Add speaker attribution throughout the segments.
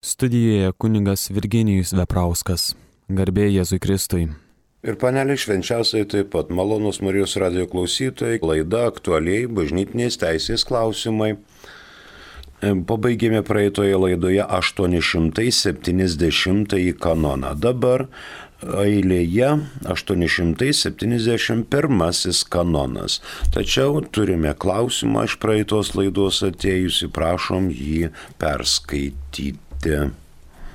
Speaker 1: Studijoje kunigas Virginijus Veprauskas. Garbė Jėzui Kristui.
Speaker 2: Ir panelė švenčiausiai taip pat malonūs Marijos radijo klausytojai, laida aktualiai bažnytinės teisės klausimai. Pabaigėme praeitoje laidoje 870 kanoną. Dabar eilėje 871 kanonas. Tačiau turime klausimą iš praeitos laidos atėjusi, prašom jį perskaityti.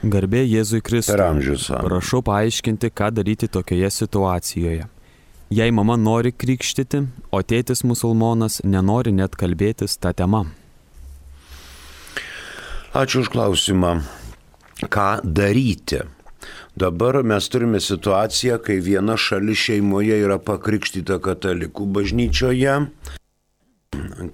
Speaker 1: Garbė Jėzui Kristui.
Speaker 2: Per amžius.
Speaker 1: Prašau paaiškinti, ką daryti tokioje situacijoje. Jei mama nori krikštyti, o tėtis musulmonas nenori net kalbėtis tą temą.
Speaker 2: Ačiū už klausimą. Ką daryti? Dabar mes turime situaciją, kai viena šalis šeimoje yra pakrikštyta katalikų bažnyčioje,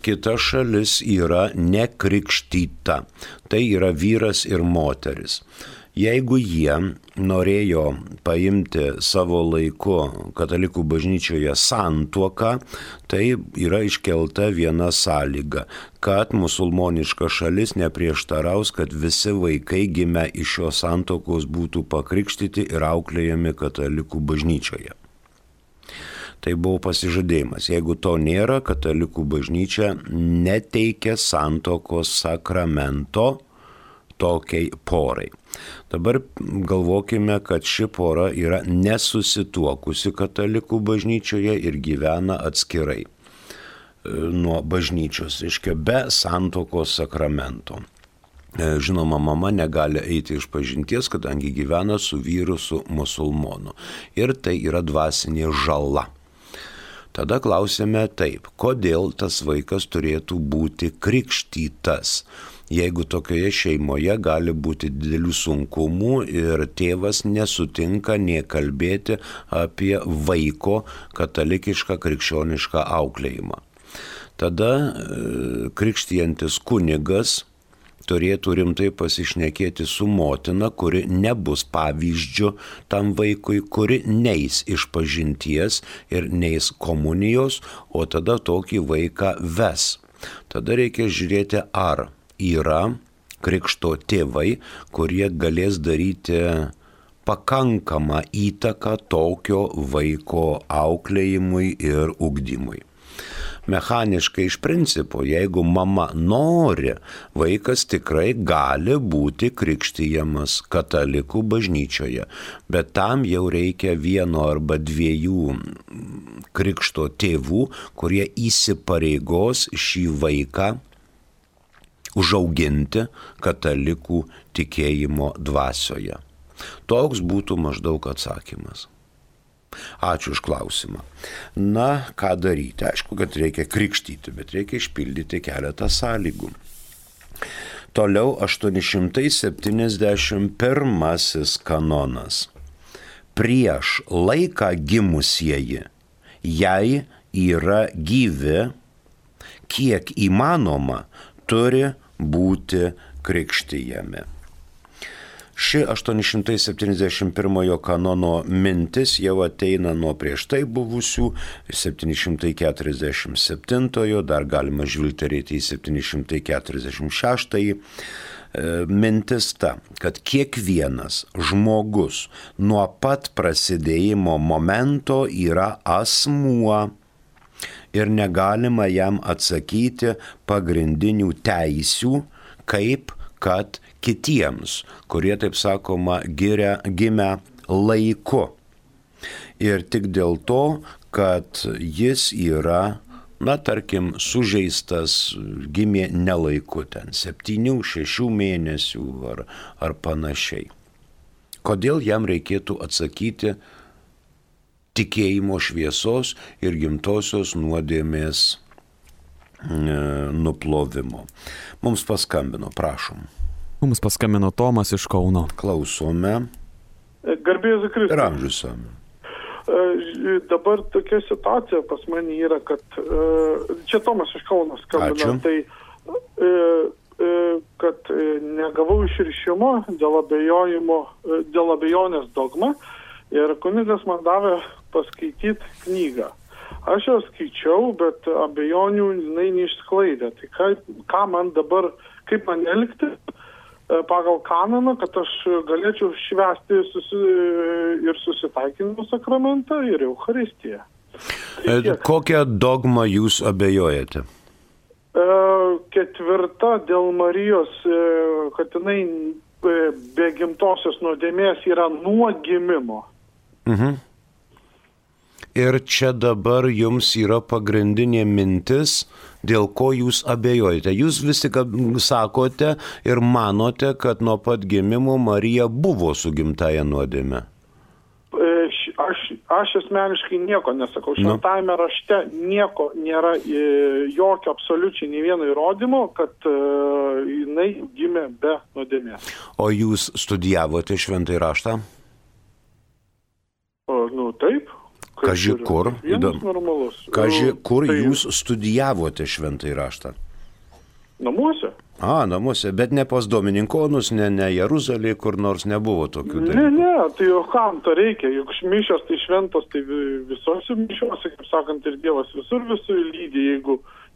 Speaker 2: kita šalis yra nekrikštyta. Tai yra vyras ir moteris. Jeigu jie norėjo paimti savo laiku katalikų bažnyčioje santuoką, tai yra iškelta viena sąlyga, kad musulmoniška šalis neprieštaraus, kad visi vaikai gimę iš šios santuokos būtų pakrikštyti ir auklėjami katalikų bažnyčioje. Tai buvo pasižadėjimas. Jeigu to nėra, katalikų bažnyčia neteikia santuokos sakramento tokiai porai. Dabar galvokime, kad ši pora yra nesusituokusi katalikų bažnyčioje ir gyvena atskirai nuo bažnyčios, reiškia be santuokos sakramento. Žinoma, mama negali eiti iš pažinties, kadangi gyvena su vyru, su musulmonu. Ir tai yra dvasinė žala. Tada klausime taip, kodėl tas vaikas turėtų būti krikštytas, jeigu tokioje šeimoje gali būti didelių sunkumų ir tėvas nesutinka nė kalbėti apie vaiko katalikišką krikščionišką auklėjimą. Tada krikštijantis kunigas turėtų rimtai pasišnekėti su motina, kuri nebus pavyzdžiu tam vaikui, kuri neis iš pažinties ir neis komunijos, o tada tokį vaiką ves. Tada reikia žiūrėti, ar yra krikšto tėvai, kurie galės daryti pakankamą įtaką tokio vaiko auklėjimui ir ugdymui. Mechaniškai iš principo, jeigu mama nori, vaikas tikrai gali būti krikštijamas katalikų bažnyčioje, bet tam jau reikia vieno arba dviejų krikšto tėvų, kurie įsipareigos šį vaiką užauginti katalikų tikėjimo dvasioje. Toks būtų maždaug atsakymas. Ačiū už klausimą. Na, ką daryti? Aišku, kad reikia krikštyti, bet reikia išpildyti keletą sąlygų. Toliau 871 kanonas. Prieš laiką gimusieji, jei yra gyvi, kiek įmanoma, turi būti krikštijami. Ši 871 kanono mintis jau ateina nuo prieš tai buvusių 747, dar galima žvilgterėti į 746. Mintis ta, kad kiekvienas žmogus nuo pat prasidėjimo momento yra asmuo ir negalima jam atsakyti pagrindinių teisių, kaip kad kitiems, kurie, taip sakoma, gimę laiku. Ir tik dėl to, kad jis yra, tarkim, sužeistas, gimė nelaiku, ten 7-6 mėnesių ar panašiai. Kodėl jam reikėtų atsakyti tikėjimo šviesos ir gimtosios nuodėmės nuplovimo? Mums paskambino, prašom.
Speaker 1: Mums paskambino Tomas iš Kauno.
Speaker 2: Klausome.
Speaker 3: Garbė Jėzui Kristui.
Speaker 2: Per amžius.
Speaker 3: Dabar tokia situacija pas mane yra, kad čia Tomas iš Kauno skambino. Tai, kad negavau išrišimo dėl abejonės dogma ir kunigas man davė paskaityti knygą. Aš ją skaičiau, bet abejonių jinai neišsklaidė. Tai ką man dabar, kaip man elgtis, pagal kanoną, kad aš galėčiau švęsti ir susitaikinimo sakramentą, ir Eucharistiją.
Speaker 2: Kokią dogmą jūs abejojate?
Speaker 3: 4 dėl Marijos, kad jinai be gimtosios nuodėmės yra nuo gimimo.
Speaker 2: Ir čia dabar jums yra pagrindinė mintis, dėl ko jūs abejojate. Jūs vis tik sakote ir manote, kad nuo pat gimimo Marija buvo su gimtaja nuodėme.
Speaker 3: Aš asmeniškai nieko nesakau. Šventajame rašte nieko nėra, jokio absoliučiai nei vieno įrodymo, kad jinai gimė be nuodėmės.
Speaker 2: O jūs studijavote šventąjį raštą?
Speaker 3: Taip.
Speaker 2: Kaži kur? Kaži kur
Speaker 3: tai
Speaker 2: jūs studijavote šventąjį raštą?
Speaker 3: Namuose.
Speaker 2: Namuose, bet ne pas Domininkonus, ne Jeruzalėje, kur nors nebuvo tokių dalykų.
Speaker 3: Ne, tai jau kam to reikia, juk mišios tai šventos, tai visose mišiuose, kaip sakant, ir Dievas visur lydi,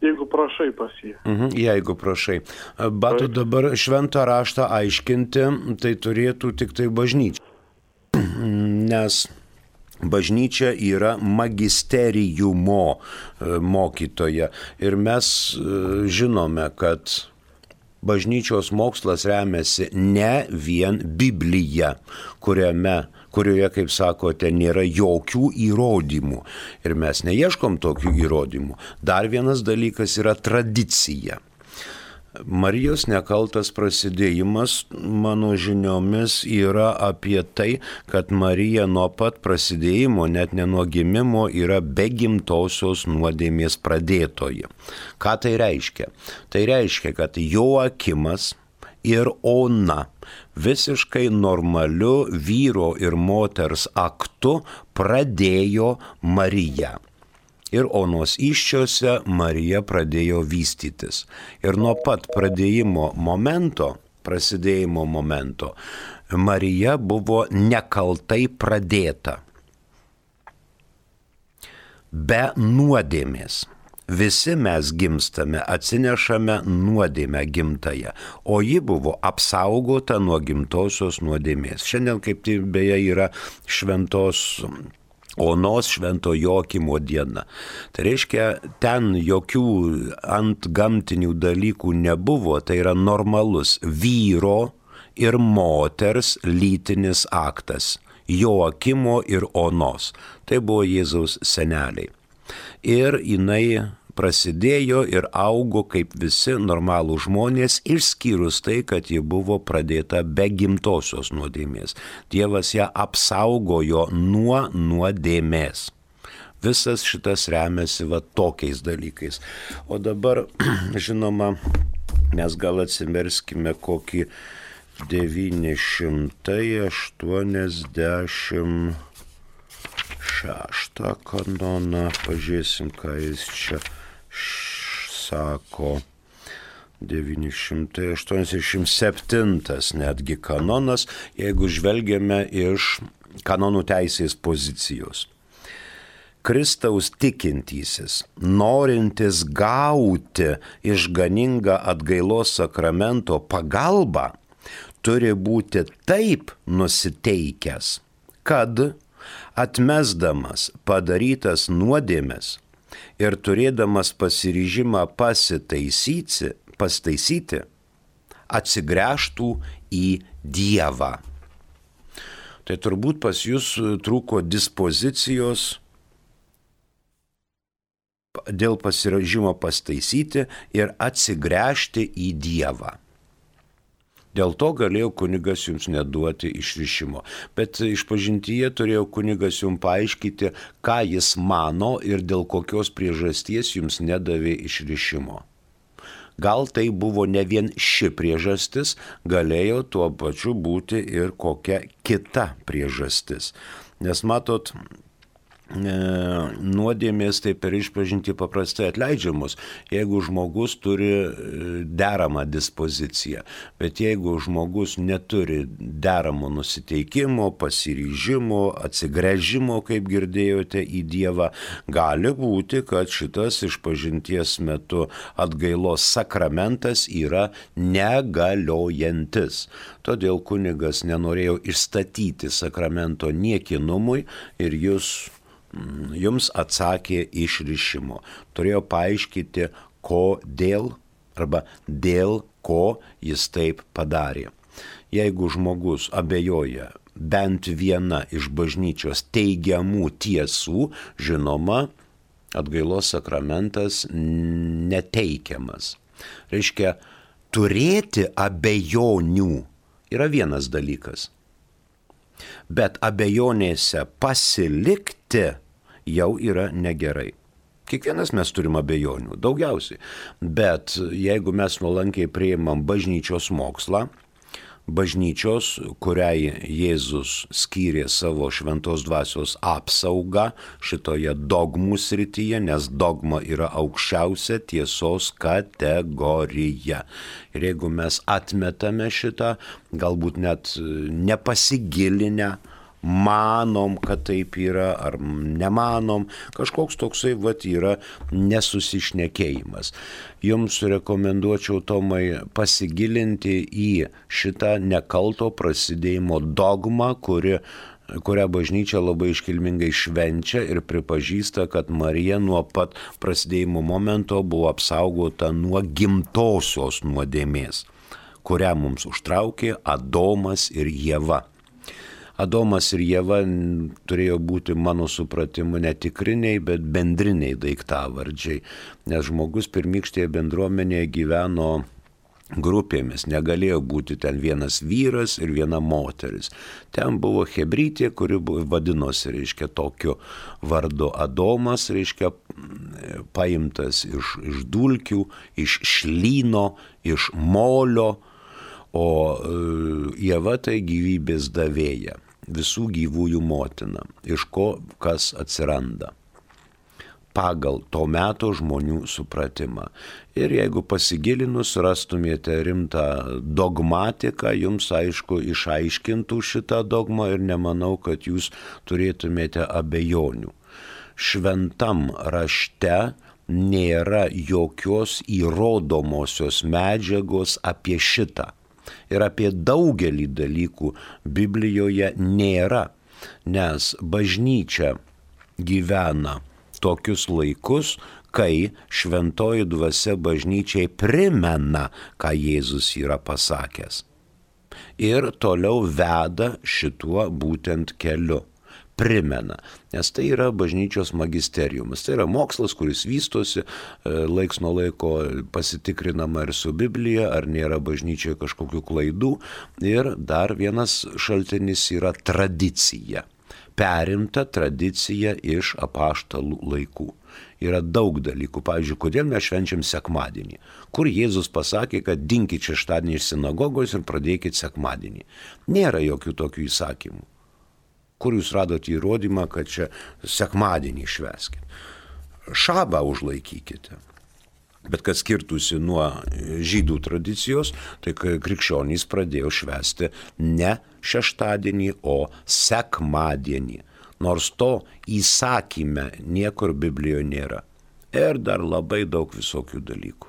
Speaker 3: jeigu prašai pas jį.
Speaker 2: Jeigu prašai. Bet dabar šventą raštą aiškinti, tai turėtų tik tai bažnyčia. Nes bažnyčia yra magisteriumo mokytoja ir mes žinome, kad bažnyčios mokslas remiasi ne vien Biblija, kurioje, kaip sakote, nėra jokių įrodymų. Ir mes neieškom tokių įrodymų. Dar vienas dalykas yra tradicija. Marijos nekaltas prasidėjimas, mano žiniomis, yra apie tai, kad Marija nuo pat prasidėjimo, net ne nuo gimimo, yra be gimtosios nuodėmės pradėtoji. Ką tai reiškia? Tai reiškia, kad Joakimas ir Ona visiškai normaliu vyro ir moters aktu pradėjo Mariją. Ir Onos įsčiose Marija pradėjo vystytis. Ir nuo pat prasidėjimo momento, Marija buvo nekaltai pradėta. Be nuodėmės. Visi mes gimstame, atsinešame nuodėmę gimtąją, o ji buvo apsaugota nuo gimtosios nuodėmės. Šiandien kaip tai beje yra šventos Onos švento Joakimo diena. Tai reiškia, ten jokių antgamtinių dalykų nebuvo, tai yra normalus vyro ir moters lytinis aktas. Joakimo ir Onos. Tai buvo Jėzaus seneliai. Ir jinai prasidėjo ir augo kaip visi normalų žmonės, išskyrus tai, kad ji buvo pradėta be gimtosios nuodėmės. Dievas ją apsaugojo nuo nuodėmės. Visas šitas remiasi tokiais dalykais. O dabar, žinoma, mes gal atsimerskime kokį 986 kanoną, pažiūrėsim, ką jis čia sako. 987 netgi kanonas, jeigu žvelgiame iš kanonų teisės pozicijos. Kristaus tikintysis, norintis gauti išganingą atgailos sakramento pagalbą, turi būti taip nusiteikęs, kad atmesdamas padarytas nuodėmes ir turėdamas pasiryžimą pasitaisyti, atsigręžtų į Dievą. Tai turbūt pas jūs trūko dispozicijos dėl pasiryžimo pasitaisyti ir atsigręžti į Dievą. Dėl to galėjo kunigas jums neduoti išrišimo. Bet išpažintyje turėjo kunigas jums paaiškinti, ką jis mano ir dėl kokios priežasties jums nedavė išrišimo. Gal tai buvo ne vien ši priežastis, galėjo tuo pačiu būti ir kokia kita priežastis. Nes matot, nuodėmės tai per išpažintį paprastai atleidžiamos, jeigu žmogus turi deramą dispoziciją. Bet jeigu žmogus neturi deramo nusiteikimo, pasiryžimo, atsigręžimo, kaip girdėjote, į Dievą, gali būti, kad šitas išpažinties metu atgailos sakramentas yra negaliojantis. Todėl kunigas nenorėjo išstatyti sakramento niekinumui ir jums atsakė išrišimo. Turėjo paaiškinti, kodėl arba dėl ko jis taip padarė. Jeigu žmogus abejoja bent viena iš bažnyčios teigiamų tiesų, žinoma, atgailos sakramentas neteikiamas. Reiškia, turėti abejonių yra vienas dalykas. Bet abejonėse pasilikti jau yra negerai. Kiekvienas mes turim abejonių, daugiausiai. Bet jeigu mes nuolankiai priimam bažnyčios mokslą, bažnyčios, kuriai Jėzus skyrė savo šventos dvasios apsaugą šitoje dogmų srityje, nes dogma yra aukščiausia tiesos kategorija. Ir jeigu mes atmetame šitą, galbūt net nepasigilinę, manom, kad taip yra, ar nemanom, kažkoks toksai yra nesusišnekėjimas. Jums rekomenduočiau, Tomai, pasigilinti į šitą nekalto prasidėjimo dogmą, kurią bažnyčia labai iškilmingai švenčia ir pripažįsta, kad Marija nuo pat prasidėjimo momento buvo apsaugota nuo gimtosios nuodėmės, kurią mums užtraukė Adomas ir Ieva. Adomas ir Ieva turėjo būti, mano supratimu, ne tikriniai, bet bendriniai daiktavardžiai, nes žmogus pirmykštėje bendruomenėje gyveno grupėmis, negalėjo būti ten vienas vyras ir viena moteris. Ten buvo hebrytė, kuri vadinosi, tokiu vardu Adomas, paimtas iš dulkių, iš šlyno, iš molio, o Ieva tai gyvybės davėja, visų gyvųjų motina, iš ko kas atsiranda pagal to meto žmonių supratimą. Ir jeigu pasigilinus rastumėte rimtą dogmatiką, jums aišku išaiškintų šitą dogmą ir nemanau, kad jūs turėtumėte abejonių. Šventam rašte nėra jokios įrodomosios medžiagos apie šitą. Ir apie daugelį dalykų Biblijoje nėra, nes bažnyčia gyvena tokius laikus, kai šventoji dvasia bažnyčiai primena, ką Jėzus yra pasakęs. Ir toliau veda šituo būtent keliu. Primena, nes tai yra bažnyčios magisteriumas. Tai yra mokslas, kuris vystosi, laiks nuo laiko pasitikrinama ir su Biblija, ar nėra bažnyčioje kažkokių klaidų. Ir dar vienas šaltinis yra tradicija. Perimta tradicija iš apaštalų laikų. Yra daug dalykų. Pavyzdžiui, kodėl mes švenčiam sekmadienį? Kur Jėzus pasakė, kad dinkit šeštadienį iš sinagogos ir pradėkit sekmadienį. Nėra jokių tokių įsakymų. Kur jūs radote įrodymą, kad čia sekmadienį švęskit? Šabą užlaikykite. Bet kad skirtųsi nuo žydų tradicijos, tai krikščionys pradėjo švęsti ne šeštadienį, o sekmadienį. Nors to įsakyme niekur Biblijoje nėra. Ir dar labai daug visokių dalykų.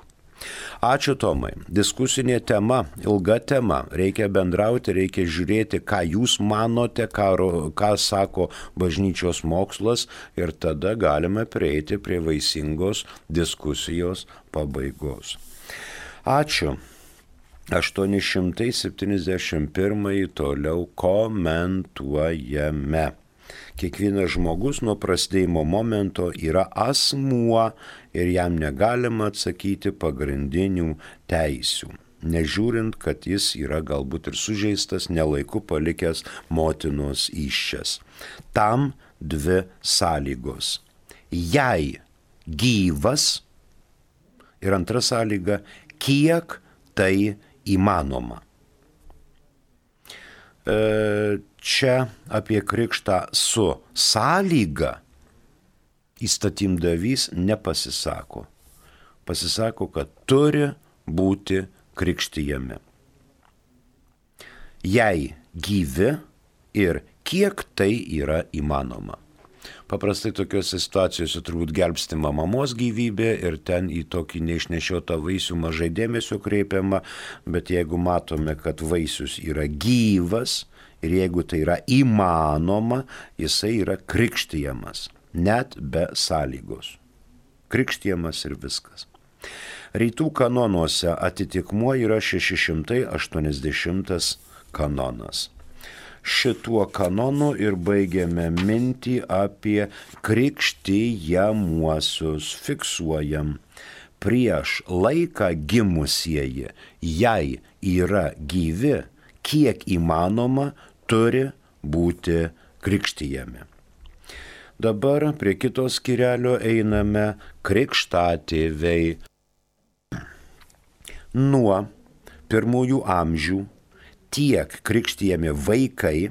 Speaker 2: Ačiū, Tomai. Diskusinė tema, ilga tema. Reikia bendrauti, reikia žiūrėti, ką jūs manote, ką sako bažnyčios mokslas ir tada galime prieiti prie vaisingos diskusijos pabaigos. Ačiū. 871 toliau komentuojame. Kiekvienas žmogus nuo prasidėjimo momento yra asmuo ir jam negalima atsakyti pagrindinių teisių, nežiūrint, kad jis yra galbūt ir sužeistas, nelaiku palikęs motinos įsčias. Tam dvi sąlygos. Jei gyvas ir antra sąlyga, kiek tai įmanoma. Čia apie krikštą su sąlyga įstatymdavys nepasisako. Pasisako, kad turi būti krikštijami. Jei gyvi ir kiek tai yra įmanoma. Paprastai tokiuose situacijose turbūt gelbstima mamos gyvybė ir ten į tokį neišnešiotą vaisių mažai dėmesio kreipiama, bet jeigu matome, kad vaisius yra gyvas ir jeigu tai yra įmanoma, jisai yra krikštijamas, net be sąlygos. Krikštijamas ir viskas. Rytų kanonuose atitikmuo yra 680 kanonas. Šituo kanonu ir baigiame mintį apie krikštijamuosius. Fiksuojam. Prieš laiką gimusieji, jei yra gyvi, kiek įmanoma, turi būti krikštijami. Dabar prie kito skyrelio einame krikštatėviai. Nuo pirmųjų amžių tiek krikštijami vaikai,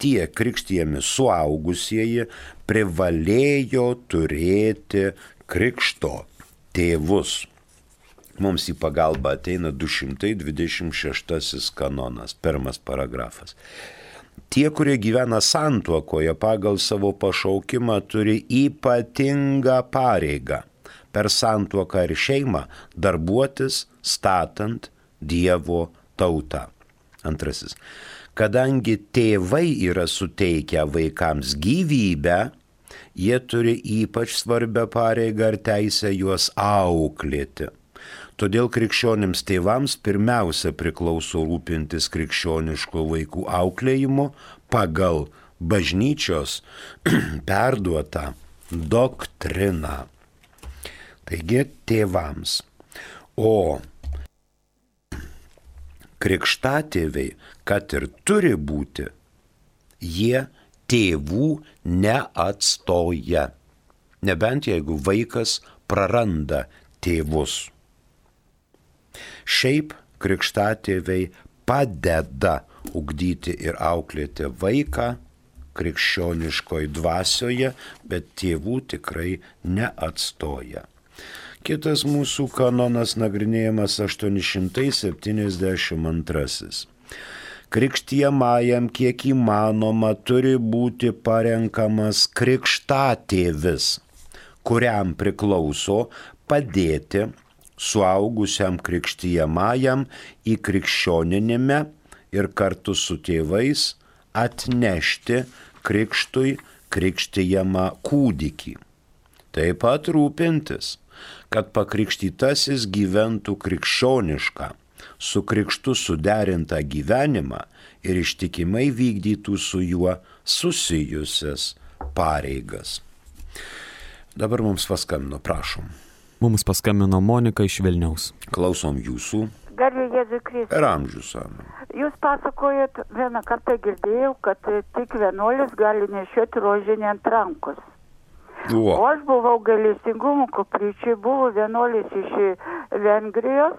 Speaker 2: tiek krikštijami suaugusieji privalėjo turėti krikšto tėvus. Mums į pagalbą ateina 226 kanonas, pirmas paragrafas. Tie, kurie gyvena santuokoje pagal savo pašaukimą, turi ypatingą pareigą per santuoką ir šeimą darbuotis statant Dievo tautą. Antrasis. Kadangi tėvai yra suteikę vaikams gyvybę, jie turi ypač svarbią pareigą ir teisę juos auklėti. Todėl krikščionims tėvams pirmiausia priklauso rūpintis krikščioniško vaikų auklėjimu pagal bažnyčios perduotą doktriną. Taigi tėvams. O krikštatėviai, kad ir turi būti, jie tėvų neatstoja. Nebent jeigu vaikas praranda tėvus. Šiaip krikštatėviai padeda ugdyti ir auklėti vaiką krikščioniškoj dvasioje, bet tėvų tikrai neatstoja. Kitas mūsų kanonas nagrinėjamas 872. Krikštijamajam kiek įmanoma turi būti parenkamas krikštatėvis, kuriam priklauso padėti suaugusiam krikštijamajam į krikščioninime ir kartu su tėvais atnešti krikštui krikštijamą kūdikį. Taip pat rūpintis, kad pakrikštytasis gyventų krikščionišką, su krikštu suderintą gyvenimą ir ištikimai vykdytų su juo susijusias pareigas. Dabar mums paskambino, prašom.
Speaker 1: Mums paskambino Monika iš Vilniaus.
Speaker 2: Klausom jūsų.
Speaker 4: Garbė Jėzui Kristui.
Speaker 2: Ir amžius, amen.
Speaker 4: Jūs pasakojat, vieną kartą girdėjau, kad tik vienuolis gali nešioti rožinį ant rankos. O aš buvau gailestingumo koplyčiai, buvo vienuolis iš Vengrijos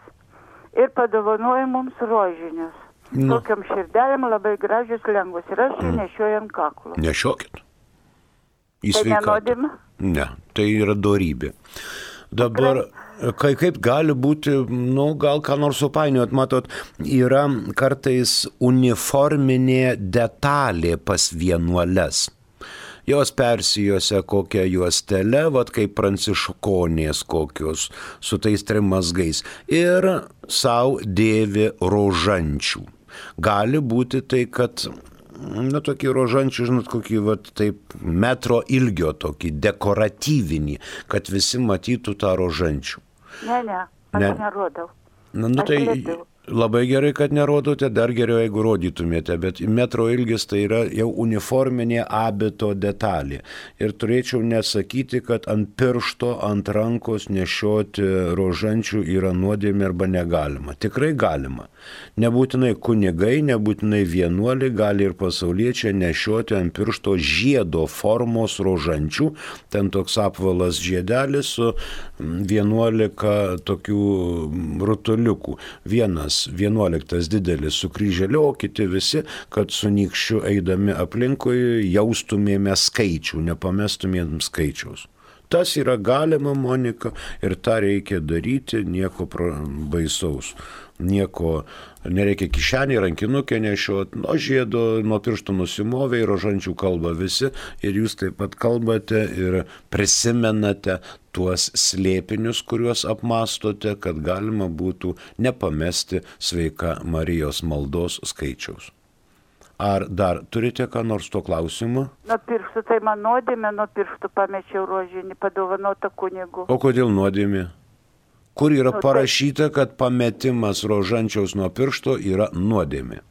Speaker 4: ir padovanojo mums rožinius. Tokiam širdelėm labai gražius lengvus ir aš jį nešioju ant kaklo.
Speaker 2: Nešiokit.
Speaker 4: Tai nenodima?
Speaker 2: Ne, tai yra dorybė. Dabar, kaip gali būti, gal ką nors supainiot, matot, yra kartais uniforminė detalė pas vienuoles. Jos persijose kokią juostelę, kaip pranciškonės kokios, su tais trimazgais. Ir savo dėvi rožančių. Gali būti tai, kad, tokį rožančių, kokį, taip, metro ilgio tokį, dekoratyvinį, kad visi matytų tą rožančių.
Speaker 4: Ne, aš nerodau.
Speaker 2: Tai labai gerai, kad nerodote, dar geriau, jeigu rodytumėte, bet metro ilgis tai yra jau uniforminė abito detalė. Ir turėčiau nesakyti, kad ant piršto, ant rankos nešioti rožančių yra nuodėmė arba negalima. Tikrai galima. Nebūtinai kunigai, nebūtinai vienuoliai, gali ir pasauliečiai nešioti ant piršto žiedo formos rožančių. Ten toks apvalas žiedelis su 11 tokių rutuliukų. Vienas 11 didelis su kryželiu, o kiti visi, kad su nykščiu eidami aplinkui jaustumėme skaičių, nepamestumėm skaičiaus. Tas yra galima, Monika, ir tą reikia daryti, nieko baisaus. Nieko nereikia kišenį, rankinukę nešiot, nuo žiedo, nuo pirštų nusimovė ir rožančių kalba visi ir jūs taip pat kalbate ir prisimenate tuos slėpinius, kuriuos apmastote, kad galima būtų nepamesti sveika Marijos maldos skaičiaus. Ar dar turite ką nors tuo klausimu?
Speaker 4: Nuo pirštų, tai man nuodėmė, nuo pirštų pamečiau rožinį, padovanotą kunigu.
Speaker 2: O kodėl nuodėmė? Kur yra parašyta, kad pametimas rožančiaus nuo piršto yra nuodėmė?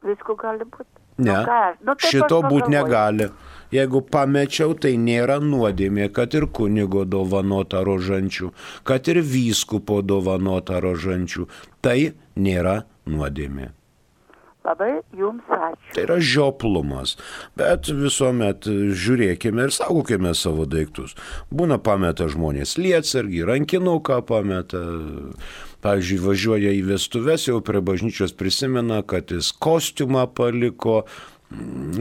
Speaker 4: Visko gali būti.
Speaker 2: Ne, šito būti negali. Jeigu pamečiau, tai nėra nuodėmė, kad ir kunigo dovanota rožančių, kad ir vyskupo dovanota rožančių. Tai nėra nuodėmė.
Speaker 4: Labai jums ačiū.
Speaker 2: Tai yra žioplumas, bet visuomet žiūrėkime ir saugokime savo daiktus. Būna pameta žmonės lietsargį, rankinuką pameta. Pavyzdžiui, važiuoja į vestuves, jau prie bažnyčios prisimena, kad jis kostiumą paliko,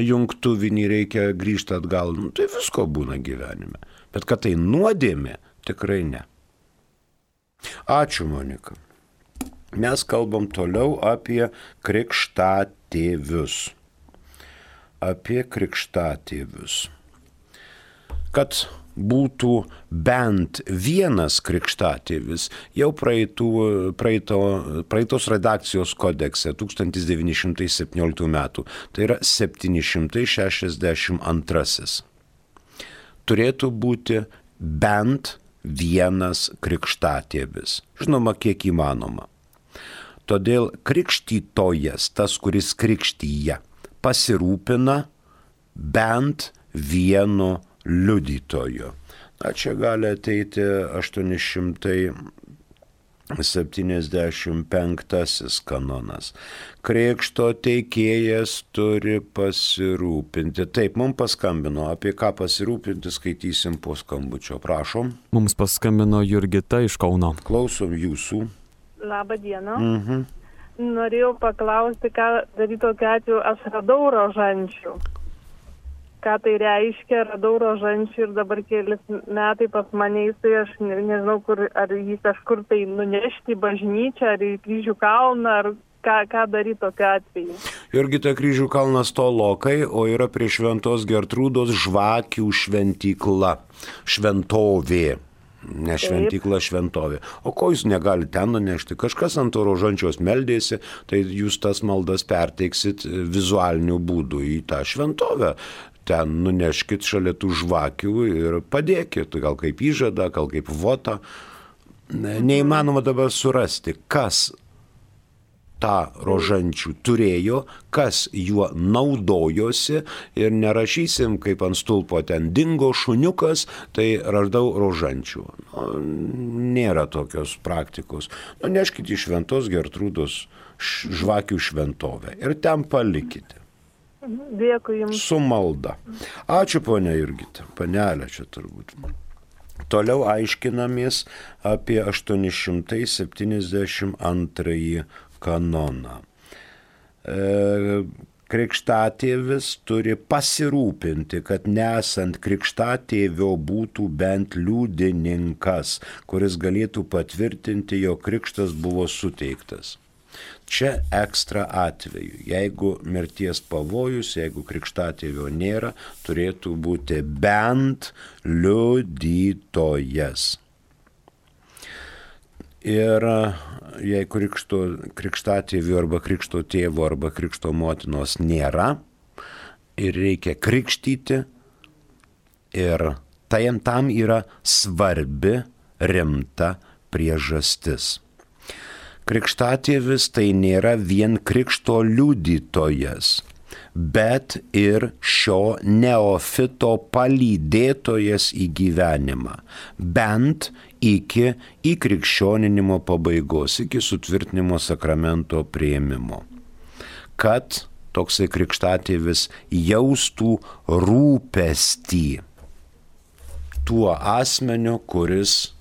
Speaker 2: jungtuvinį reikia grįžti atgal. Tai visko būna gyvenime. Bet kad tai nuodėmė, tikrai ne. Ačiū, Monika. Mes kalbam toliau apie krikštatėvius. Kad būtų bent vienas krikštatėvis, jau praeitos redakcijos kodekse 1917 metų, tai yra 762. Turėtų būti bent vienas krikštatėvis. Žinoma, kiek įmanoma. Todėl krikštytojas, tas, kuris krikštyja, pasirūpina bent vienu liudytoju. Na, čia gali ateiti 875 kanonas. Krikšto teikėjas turi pasirūpinti. Taip, mums paskambino. Apie ką pasirūpinti, skaitysim po skambučio. Prašom.
Speaker 1: Mums paskambino Jurgita iš Kauno.
Speaker 2: Klausom jūsų.
Speaker 5: Labą dieną. Norėjau paklausti, ką daryti tokiu atveju. Aš radau rožančių. Ką tai reiškia, radau rožančių ir dabar kelis metai pas mane, tai aš nežinau, ar jį kažkur tai nunešti į bažnyčią, ar į Kryžių kalną, ar ką daryti tokiu atveju.
Speaker 2: Jurgita, Kryžių kalnas tolokai, o yra prie Šventos Gertrūdos žvakių šventykla, šventovė. Ne šventykla, šventovė. O ko jūs negalite ten nunešti? Kažkas ant to rožančios meldėsi, tai jūs tas maldas perteiksit vizualiniu būdu į tą šventovę. Ten nuneškit šalia tų žvakių ir padėkit, gal kaip įžadą, gal kaip votą. Neįmanoma dabar surasti, kas tą rožančių turėjo, kas juo naudojosi ir nerašysim, kaip ant stulpo ten dingo šuniukas, tai radau rožančių. Nėra tokios praktikos. Neškite į Šventos Gertrūdos žvakių šventovę ir ten palikite.
Speaker 5: Dėkui jums.
Speaker 2: Su malda. Ačiū, ponia Jurgita. Panelė čia turbūt. Toliau aiškinamės apie 872 kanoną. Krikštatėvis turi pasirūpinti, kad nesant krikštatėvio būtų bent liudininkas, kuris galėtų patvirtinti, jog krikštas buvo suteiktas. Čia ekstra atveju. Jeigu mirties pavojus, jeigu krikštatėvio nėra, turėtų būti bent liudytojas. Ir jei krikštatėvio arba krikšto tėvo arba krikšto motinos nėra ir reikia krikštyti, ir tam yra svarbi, rimta priežastis. Krikštatėvis tai nėra vien krikšto liudytojas, bet ir šio neofito palydėtojas į gyvenimą, bent iki įkrikščioninimo pabaigos, iki sutvirtinimo sakramento priėmimo. Kad toksai krikštatėvis jaustų rūpestį tuo asmeniu, kuris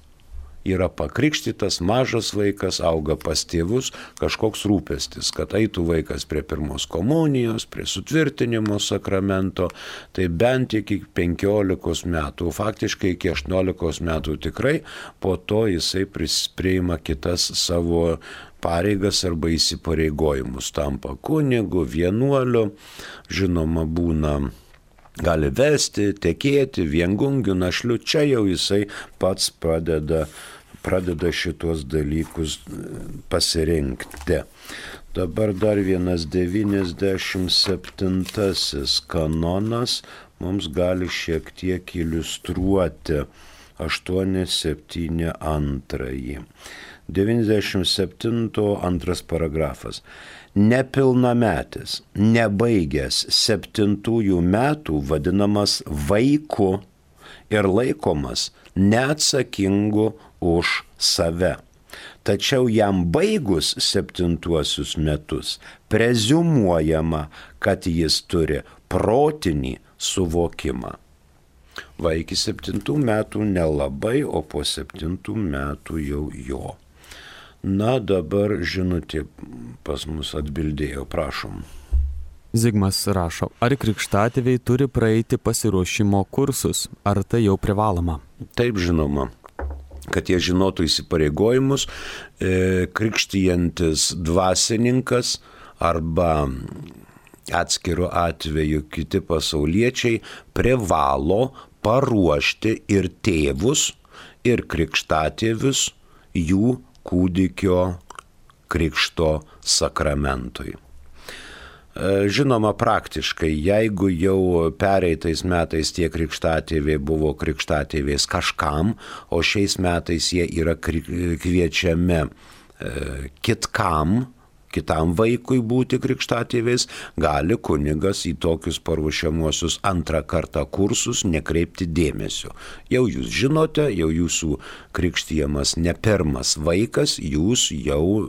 Speaker 2: yra pakrikštytas, mažas vaikas, auga pas tėvus, kažkoks rūpestis, kad eitų vaikas prie pirmos komunijos, prie sutvirtinimo sakramento, tai bent iki 15 metų, faktiškai iki 18 metų tikrai, po to jisai priima kitas savo pareigas arba įsipareigojimus, tampa kunigu, vienuoliu, žinoma būna, gali vesti, tekėti, viengungiu, našliu, čia jau jisai pats pradeda šitos dalykus pasirinkti. Dabar dar vienas 97 kanonas mums gali šiek tiek iliustruoti 872. 97 antras paragrafas. Nepilnametis, nebaigęs 7 metų vadinamas vaiku ir laikomas neatsakingu už save. Tačiau jam baigus 7 metus preziumuojama, kad jis turi protinį suvokimą. Va iki 7 metų nelabai, o po 7 metų jau jo. Na, dabar žinutė pas mus atbildėjo, prašom.
Speaker 1: Zigmas rašo, ar krikštatėviai turi praeiti pasiruošimo kursus, ar tai jau privaloma?
Speaker 2: Taip, žinoma, kad jie žinotų įsipareigojimus, krikštijantis dvasininkas arba atskiru atveju kiti pasauliečiai privalo paruošti ir tėvus, ir krikštatėvius jų kūdikio krikšto sakramentui. Žinoma, praktiškai, jeigu jau pereitais metais tie krikštatėviai buvo krikštatėviais kažkam, o šiais metais jie yra kviečiami kitam vaikui būti krikštatėviais, gali kunigas į tokius paruošiamuosius antrą kartą kursus nekreipti dėmesio. Jau jūs žinote, jau jūsų krikštijamas ne pirmas vaikas, jūs jau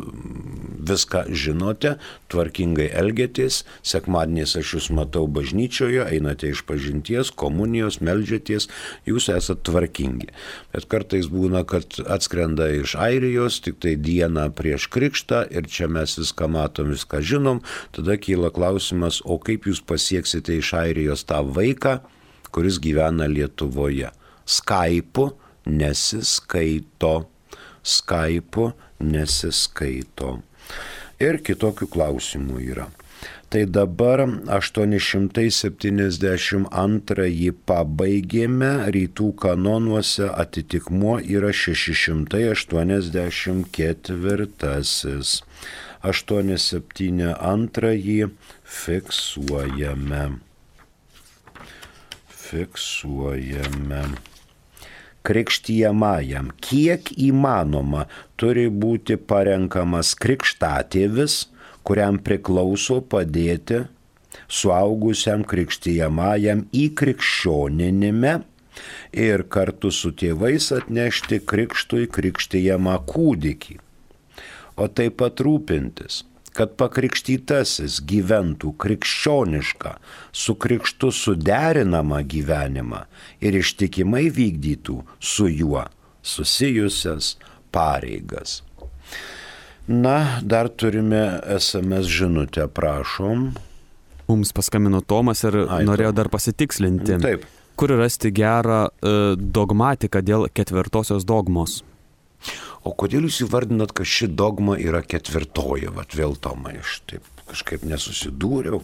Speaker 2: viską žinote, tvarkingai elgiatės, sekmadieniais aš jūs matau bažnyčioje, einate iš pažinties, komunijos, meldžiaties, jūs esate tvarkingi. Bet kartais būna, kad atskrenda iš Airijos tik tai dieną prieš krikštą ir čia mes viską matom, viską žinom, tada kyla klausimas, o kaip jūs pasieksite iš Airijos tą vaiką, kuris gyvena Lietuvoje? Skype'u nesiskaito. Ir kitokių klausimų yra. Tai dabar 872 pabaigėme, rytų kanonuose atitikmuo yra 684. 872 fiksuojame. Krikštijamajam kiek įmanoma turi būti parenkamas krikštatėvis, kuriam priklauso padėti suaugusiam krikštijamajam įkrikščioninime ir kartu su tėvais atnešti krikštui krikštijamą kūdikį, o taip pat rūpintis, kad pakrikštytasis gyventų krikščionišką, su krikštu suderinamą gyvenimą ir ištikimai vykdytų su juo susijusias pareigas. Na, dar turime SMS žinutę, prašom.
Speaker 1: Mums paskambino Tomas ir norėjo dar pasitikslinti.
Speaker 2: Taip.
Speaker 1: Kur rasti gerą dogmatiką dėl 4 dogmos?
Speaker 2: O kodėl jūs įvardinat, kad ši dogma yra 4? Vat vėl, Tomai, aš taip kažkaip nesusidūriau.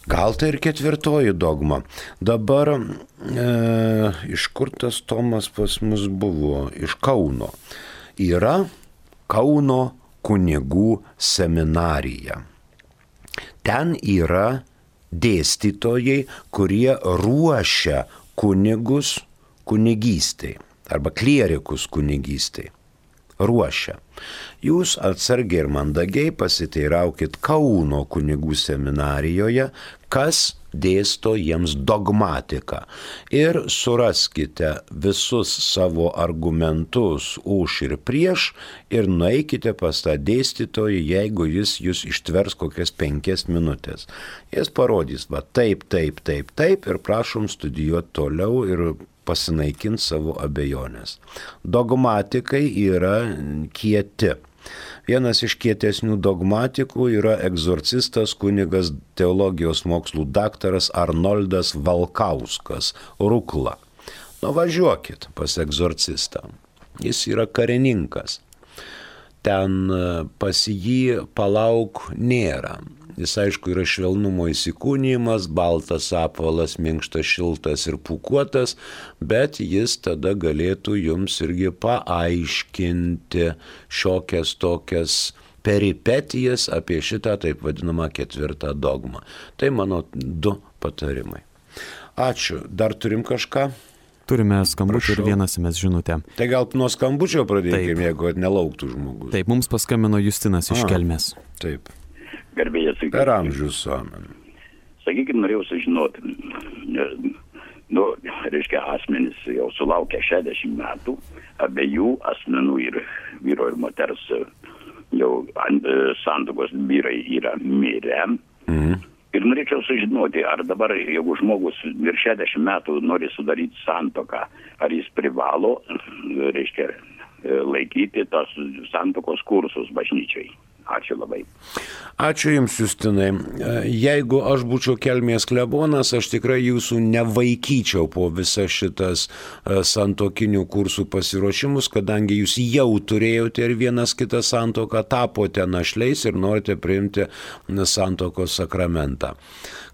Speaker 2: Gal tai ir 4 dogma. Dabar iš kur tas Tomas pas mus buvo? Iš Kauno. Yra Kauno kunigų seminarija. Ten yra dėstytojai, kurie ruošia kunigus kunigystei arba klierikus kunigystei. Ruošia. Jūs atsargiai ir mandagiai pasiteiraukit Kauno kunigų seminarijoje, kas dėsto jiems dogmatiką. Ir suraskite visus savo argumentus už ir prieš ir nueikite pas tą dėstytoją, jeigu jis jūs ištvers kokias 5 minutės. Jis parodys, va taip ir prašom studijuoti toliau ir pasinaikinti savo abejonės. Dogmatikai yra kieti. Vienas iš kietesnių dogmatikų yra egzorcistas kunigas teologijos mokslų daktaras Arnoldas Valkauskas, Rukla. Nuvažiuokit pas egzorcistą. Jis yra karininkas. Ten pas jį palauk nėra. Jis aišku yra švelnumo įsikūnijimas, baltas apvalas, minkštas, šiltas ir pūkuotas, bet jis tada galėtų jums irgi paaiškinti šiokias tokias peripetijas apie šitą taip vadinamą ketvirtą dogmą. Tai mano 2 patarimai. Ačiū. Dar turim kažką?
Speaker 1: Turime skambučių ir vieną SMS žinutę.
Speaker 2: Tai gal nuo skambučio pradėkime, jeigu nelauktų žmogus.
Speaker 1: Taip, mums paskambino Justinas iš Kelmės.
Speaker 2: Taip.
Speaker 6: Garbėjas.
Speaker 2: Per amžius amen.
Speaker 6: Sakykime, norėjau sužinoti, reiškia, asmenys jau sulaukia 60 metų, abiejų asmenų ir vyro ir moters jau santuokos vyrai yra mirę. Ir norėčiau sužinoti, ar dabar, jeigu žmogus virš 60 metų nori sudaryti santuoką, ar jis privalo, reiškia, laikyti tos santuokos kursus bažnyčiai. Ačiū labai.
Speaker 2: Ačiū Jums, Justinai. Jeigu aš būčiau Kelmės klebonas, aš tikrai jūsų nevaikyčiau po visą šitas santuokinių kursų pasiruošimus, kadangi jūs jau turėjote ir vienas kitą santuoką, tapote našliais ir norite priimti santuokos sakramentą.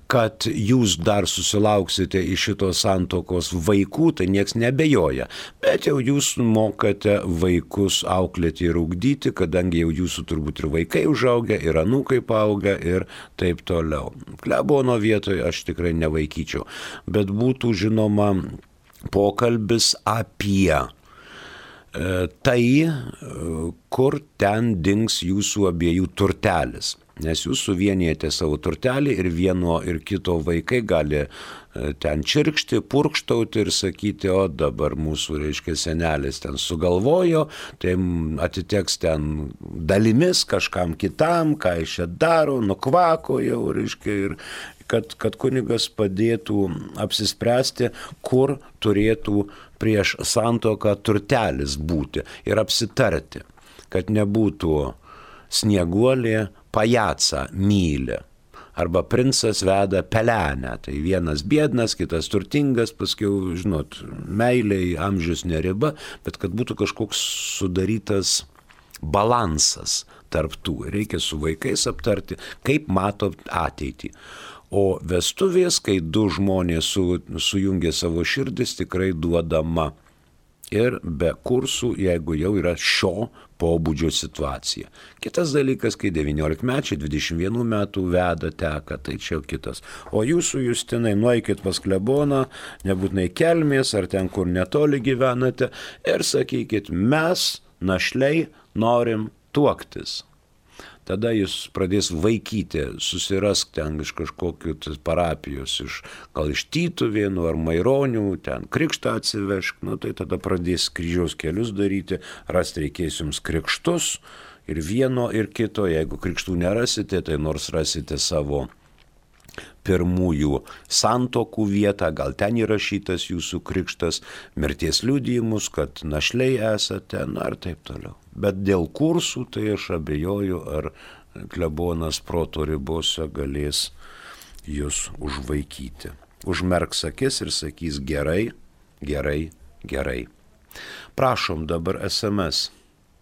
Speaker 2: Kad jūs dar susilauksite iš šitos santuokos vaikų, tai nieks nebejoja. Bet jau jūs mokate vaikus auklėti ir ugdyti, kadangi jau jūsų turbūt ir vaikai užaugia, ir anūkai paaugia ir taip toliau. Klebono vietoje aš tikrai nevaikyčiau. Bet būtų žinoma pokalbis apie tai, kur ten dings jūsų abiejų turtelis. Nes jūs suvienijate savo turtelį ir vieno ir kito vaikai gali ten čirkšti, purkštauti ir sakyti, o dabar mūsų, reiškia, senelis ten sugalvojo, tai atiteks ten dalimis kažkam kitam, ką jis čia daro, nukvako jau, reiškia, ir kad kunigas padėtų apsispręsti, kur turėtų prieš santuoką turtelis būti ir apsitarti, kad nebūtų snieguolė pajaca myli. Arba princas veda pelenę. Tai vienas biednas, kitas turtingas, paskiau, žinot, meiliai amžius neriba, bet kad būtų kažkoks sudarytas balansas tarp tų. Reikia su vaikais aptarti, kaip mato ateitį. O vestuvės, kai 2 žmonės sujungia savo širdis, tikrai duodama. Ir be kursų, jeigu jau yra šio pobūdžio situacija. Kitas dalykas, kai 19-mečiai, 21 metų veda, teka, tai čia jau kitas. O jūsų, Justinai, nueikit pas kleboną, nebūtinai Kelmės, ar ten, kur netoli gyvenate, ir sakykit, mes, našliai, norim tuoktis. Tada jis pradės vaikyti, susirask ten iš kažkokių parapijos, gal iš Tytuvėnų ar Maironių, ten krikštą atsivešk, tai tada pradės kryžiaus kelius daryti, rasti reikės jums krikštus ir vieno ir kito, jeigu krikštų nerasite, tai nors rasite savo pirmųjų santokų vietą, gal ten įrašytas jūsų krikštas, mirties liudijimus, kad našliai esate, ir taip toliau. Bet dėl kursų, tai aš abejoju, ar klebonas proto ribose galės jūs užvaikyti. Užmerks akis ir sakys gerai, gerai, gerai. Prašom dabar SMS.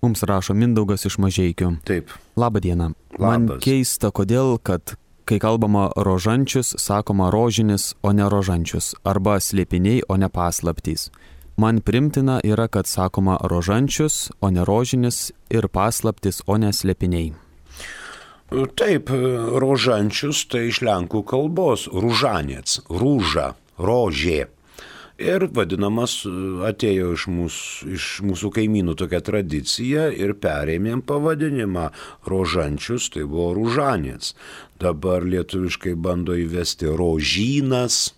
Speaker 1: Mums rašo Mindaugas iš Mažeikių.
Speaker 2: Taip.
Speaker 1: Labą dieną. Man keista, kodėl, kad kai kalbama rožančius, sakoma rožinis, o ne rožančius, arba slėpiniai, o ne paslaptys. Man primtina yra, kad sakoma rožančius, o ne rožinis, ir paslaptis, o ne slėpiniai.
Speaker 2: Taip, rožančius tai iš lenkų kalbos, ružanėts, rūža, rožė. Ir vadinamas atėjo iš mūsų kaimynų tokia tradicija ir perėmėm pavadinimą rožančius, tai buvo ružanės. Dabar lietuviškai bando įvesti rožynas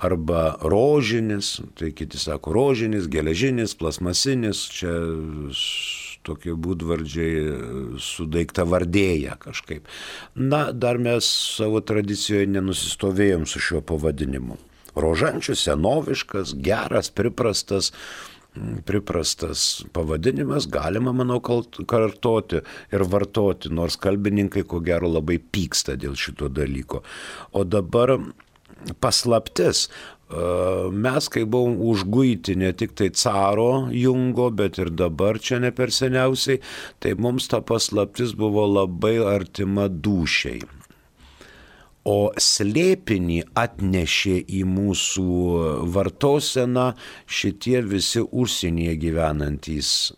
Speaker 2: arba rožinis, tai kiti sako rožinis, geležinis, plasmasinis, čia tokie būdvardžiai sudaiktavardėja kažkaip. Dar mes savo tradicijoje nenusistovėjom su šiuo pavadinimu. Rožančius senoviškas, geras, priprastas pavadinimas, galima, manau, kartoti ir vartoti, nors kalbininkai, ko gero, labai pyksta dėl šito dalyko. O dabar paslaptis. Mes, kai buvom užguiti ne tik tai caro Jungo, bet ir dabar čia ne per seniausiai, tai mums ta paslaptis buvo labai artima dūšiai. O slėpinį atnešė į mūsų vartoseną šitie visi užsienyje gyvenantys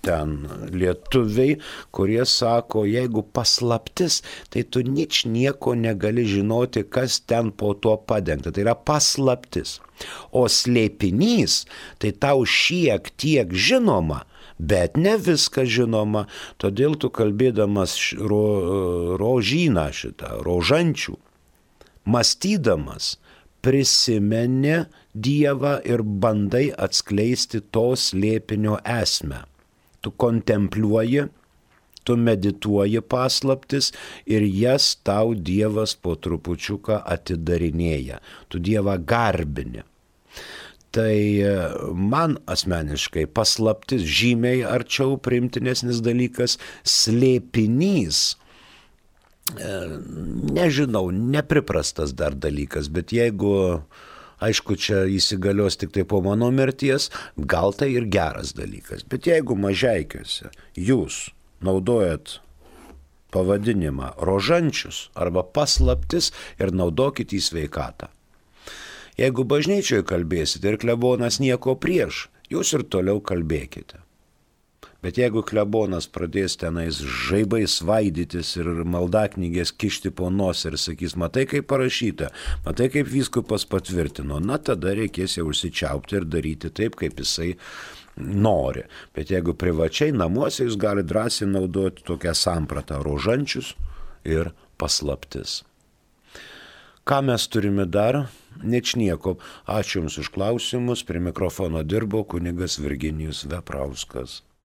Speaker 2: ten lietuviai, kurie sako, jeigu paslaptis, tai tu nieko negali žinoti, kas ten po tuo padengta. Tai yra paslaptis. O slėpinys, tai tau šiek tiek žinoma, bet ne viską žinoma. Todėl tu kalbėdamas rožyną šitą, rožančių, mąstydamas, prisimeni Dievą ir bandai atskleisti to slėpinio esmę. Tu kontempliuoji, tu medituoji paslaptis ir jas tau Dievas po trupučiuką atidarinėja. Tu Dievą garbini. Tai man asmeniškai paslaptis žymiai arčiau priimtinesnis dalykas, slėpinys. Nežinau, nepriprastas dar dalykas, bet jeigu, aišku, čia įsigalios tik tai po mano mirties, gal tai ir geras dalykas. Bet jeigu Mažeikiuose jūs naudojat pavadinimą rožančius arba paslaptis ir naudokit į sveikatą. Jeigu bažnyčioje kalbėsite ir klebonas nieko prieš, jūs ir toliau kalbėkite. Bet jeigu klebonas pradės tenais žaibai svaidytis ir maldaknygės kišti po nosį ir sakys, matai kaip parašyta, matai kaip vyskupas patvirtino, na tada reikės jau užsičiaupti ir daryti taip, kaip jisai nori. Bet jeigu privačiai namuose jūs gali drąsiai naudoti tokią sampratą rožančius ir paslaptis. Ką mes turime dar? Ničnieko. Ačiū Jums už klausimus. Prie mikrofono dirbo kunigas Virginijus Veprauskas.